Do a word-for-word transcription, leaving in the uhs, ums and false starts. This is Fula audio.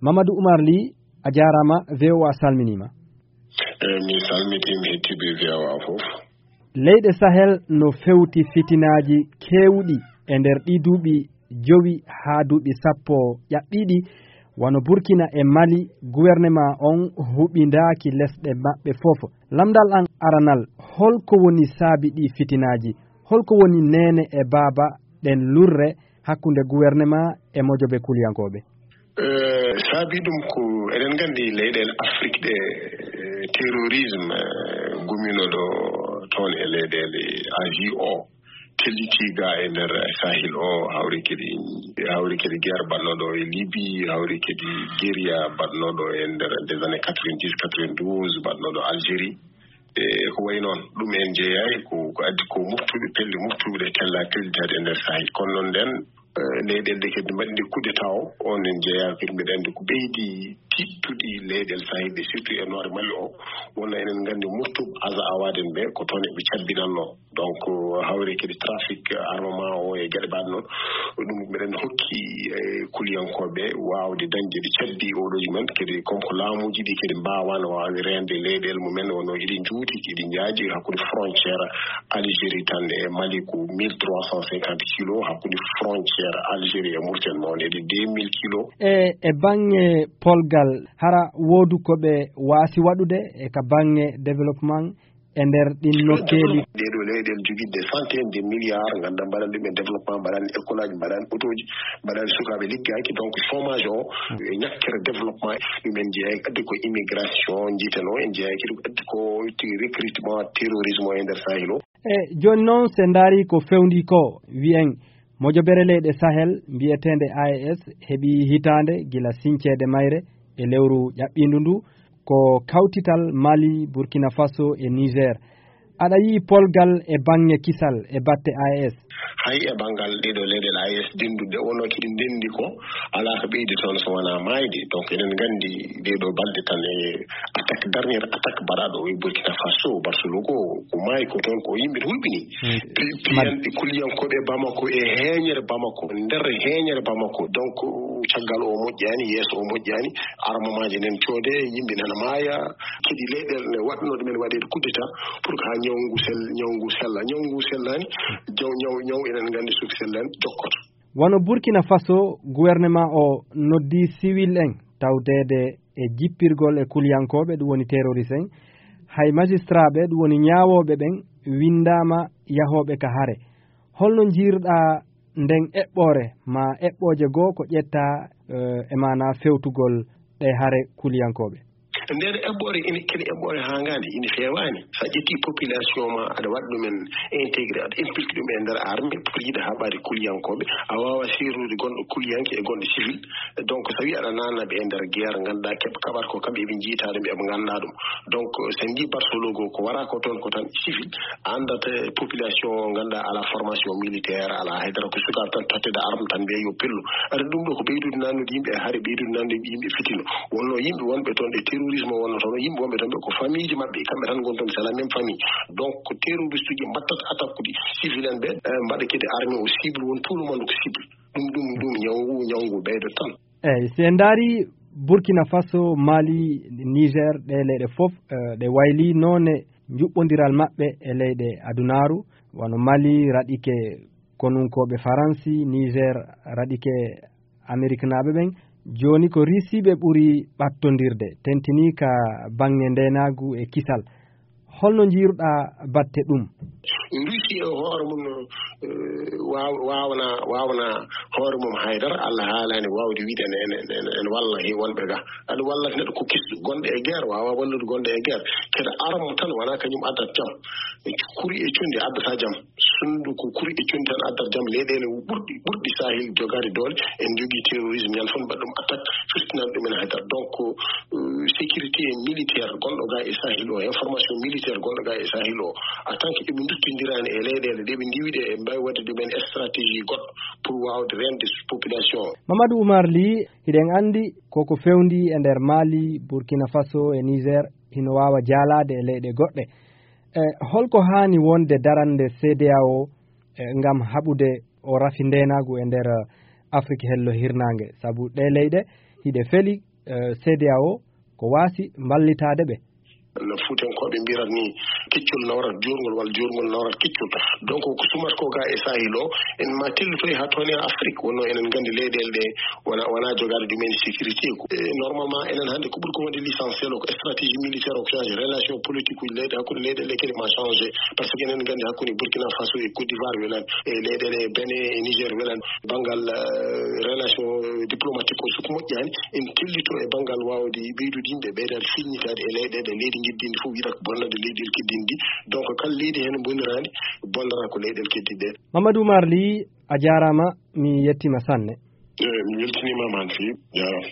Mamadou Oumar Ly, a jaaraama, V O A salminiima. Eyi, mi salmitiima heɗtiiɓe V O A fof. Leyɗe Sahel no fewti fitinaaji keewɗi e nder ɗii duuɓi jowi haa duuɓi sappo ƴaɓɓiiɗi, wano Burkina e Mali, gouvernement on huɓindaaki lesɗe maɓɓe fof. Lamndal an aranal, holko woni saabi ɗii fitinaaji? Holko woni neene e baaba ɗen lurre hakkunde gouvernement e mojobe kuliyankooɓe? Eh, saabi ɗum ko eɗen nganndi leyɗeele Afrik ɗe, eh, terrorisme, eh, guminooɗo toon e leyɗeele Asie o, telliti ga e nder Sahel o, hawri kadi, hawri kadi guerre baɗnooɗo e Libye, hawri kadi guérilla baɗnooɗo e nder des années quatre-vingt-dix, quatre-vingt-douze, baɗnooɗo Algérie. E ko wayi noon, ɗum en jeeyaani ko, ko addi ko moftuɓe, pelle moftuɓe ɗe tella tellitaade e nder Sahel. Kono noon nden, eh, leyɗeele ɗe kadi mbaɗi nde coup d'État o, on en jeeyaa kadi, mbiɗa anndi ko ɓeydi tiiɗtude leyɗeele Sahel ɗe, surtout e Nord Mali o, wonno eɗen nganndi moftuɓe Aza Awaden ɓe, ko toon eɓe cabbinannoo. Donc, hawri kadi trafic armement o e geɗe mbaɗe noon, ɗum mbiɗen hokki, eh, kuliyankooɓe waawde dañde ɗi cabbi oɗo mumen, kadi comme ko laamuuji ɗi kadi mbaawaano waawde reende leyɗeele mumen, wonno iɗi njuuti, iɗi njaaji hakkunde frontière Algérie tan e Mali ko mille trois cent cinquante kilos, hakkunde frontière Algérie e Mauritanie mawni eɗi deux mille kilos. E, e baŋŋe polgal, hara woodu ko ɓe waasi waɗude e ka baŋŋe développement e nder ɗin nokkeeli? Ɗee ɗoo leyɗeele jogiiɗe des centaines de milliards, ngannduɗaa, mbaɗan ɗum e développement, mbaɗan école aji, mbaɗan otooji, mbaɗan sukaaɓe liggaaki. Donc, chômage o, e ñakkere développement, ɗum en jeeyaaki. Addi ko immigration, njiiten o, en jeeyaaki. Ɗum addi ko ti recrutement, terrorisme o e nder Sahel o. E jooni noon, se ndaari ko fewndi ko, wiyen mojobere leyɗe Sahel mbiyeteende A E S heɓi hitaande gila siñceede mayre e lewru ƴaɓɓiindu ndu, ko kawtital Mali, Burkina Faso e Niger. Aɗa yi'i polgal e baŋŋe kisal e batte A E S? Hay e banngal ɗee ɗoo leyɗeele A E S dennduɗe, wonno kiɗi ndenndi ko, alaa ko ɓeydi toon so wonaa maayde. Donc, eɗen nganndi ɗee ɗoo balɗe tan e attaque, dernière attaque mbaɗaaɗo o e Burkina Faso, Barcelone ko, ko maayi ko toon, ko yimɓe hulɓini. Mm. Pi-, piyanɗe kuliyankooɓe Bamako e heeñere Bamako, nder heeñere Bamako. Donc, caggal o moƴƴaani, yeeso o moƴƴaani, armamaaji nen coode, yimɓe nana maaya, kadi leyɗeele ne waɗno ɗumen waɗeede coup d'État pour que haa ñaw ngu sel-, ñaw ngu sella. Ñaw ngu sellaani, ñaw, ñaw, ñaw eɗen nganndi so sellani jokkoto. Wano Burkina Faso, gouvernement o noddi civil en tawdeede e jippirgol e kuliyankooɓe, ɗum woni terroriste en. Hay magistrat ɓe, ɗum woni ñaawooɓe ɓen, winndaama yahooɓe ka hare. Holno njiirɗaa nden eɓɓoore, ma eɓɓooje goo ko ƴettaa, eh, e maanaa fewtugol ɗe hare kuliyankooɓe? Nden eɓɓoore ina kene eɓɓoore hangaande, ina feewaani. So a ƴetti population ma, aɗa waɗa ɗumen intégré, aɗa impliqué ɗum e nder armée pour yiɗa haɓaade kuliyankooɓe. A waawa seernude gonɗo kuliyanke e gonɗo civil. Donc, so tawi aɗa naatna ɓe e nder guerre, ngannduɗaa keɓ-, kaɓat ko kamɓe eɓe njiyta ɗum, eɓe ngannda ɗum. Donc, so en njii Barcelone ko wara ko toon ko tan civil, a anndat, eh, population o, ngannduɗaa alaa formation militaire, alaa haydara, ko sukaaɓe tan totteede arme tan mbiya yo pellu. Aɗa ɗum ɗo ko ɓeydude nannude yimɓe e hare, ɓeydude nannude yimɓe fitino. Wonno yimɓe wonɓe toon ɗe terrorisme wonno toon, yimɓe wonɓe toon ɓe ko famille ji maɓɓe, kamɓe tan ngoni toon, c'est la même famille. Donc, ko terroriste uji mbattata attaque uji civil en ɓe, eh, mbaɗa kadi armée o cible, won tout le monde ko cible. Ɗum, ɗum, ɗum, ñawngu, ñawngu ɓeydo tan. Eyi, si en ndaari Burkina Faso, Mali, Niger, ɗe leyɗe fof, eh, ɗe wayli noone njuɓɓondiral maɓɓe e leyɗe adunaaru, wano Mali raɗike konunkooɓe Faransi, Niger raɗike Ameriknaaɓe ɓen. Jooni ko Risiiɓe ɓuri ɓattondirde, tentinii ka baŋŋe ndeenaagu e kisal. Holno njiiruɗaa batte ɗum? Rusi e hoore mum, eh, waaw-, waawna, waawna hoore mum haydara. Allah haalaani waawde wiide ene, ene, ene, ene walla he wonɓe ga. Aɗa walla neɗɗo ko kisɗo, gonɗo e guerre, waawa wallude gonɗo e guerre. Kede arme tan wona kañum addat jam. Kuri e conndi addata jam. Sunndu ko kuri e conndi tan addat jam. Leyɗeele ɓurɗi, ɓurɗi Sahel jogaade doole, en jogii terrorisme, ñande fof mbaɗa ɗum attaque, firtinan ɗumen haydara. Donc, euh, sécurité militaire gonɗo ga e Sahel o, information militaire gonɗo ga e Sahel o, en tant que eɓe nduttindiraani e leyɗeele ɗe ɓe ndiwiɗe, e mbawi waɗde ɗumen stratégie goɗɗo pour wawde rende population o. Mamadou Oumar Ly, hiɗen anndi koko fewndi e nder Mali, Burkina Faso e Niger, hino waawa jaalaade e leyɗe goɗɗe. E, holko haani wonde darannde C D A O, e, ngam haɓude o rafi ndeenaagu e nder, e, Afrik hello hirnaange? Sabu ɗee leyɗe hiɗe feli C D A O ko waasi mballitaade ɓe. No Fuutankooɓe mbirat ni, keccol nawrat juurngol walla juurngol nawrat keccol. Donc ko sumat ko ga e Sahel o, en ma tellitoy ha toon e Afrique, wonno enen nganndi leyɗeele ɗe wona wona jogaade ɗumen sécurité ko. E, normalement enen hannde ko ɓuri ko wonde l'essentiel o ko stratégie militaire o ko changé relation politique uji leyɗe hakkunde leyɗeele kadi ma changé. Par ce que enen nganndi hakkunde Burkina Faso e Côte d'Ivoire welan, e leyɗeele Bénin e Niger welan, banngal relation diplomatique o soko moƴƴaani, en tellito e banngal waawde ɓeydude yimɓe ɓeydaade filñitaade e leyɗeele leydi ngiddindi fof wiyata ko bonnande leyɗeele keddindi ɗi. Donc kala leydi heen boniraani bonnata ko leyɗeele keddindi ɗe. Mamadou Oumar Ly, a jaaraama, mi yettiima sanne. Eyi, mi weltiniima ma no feewi, jaaraama.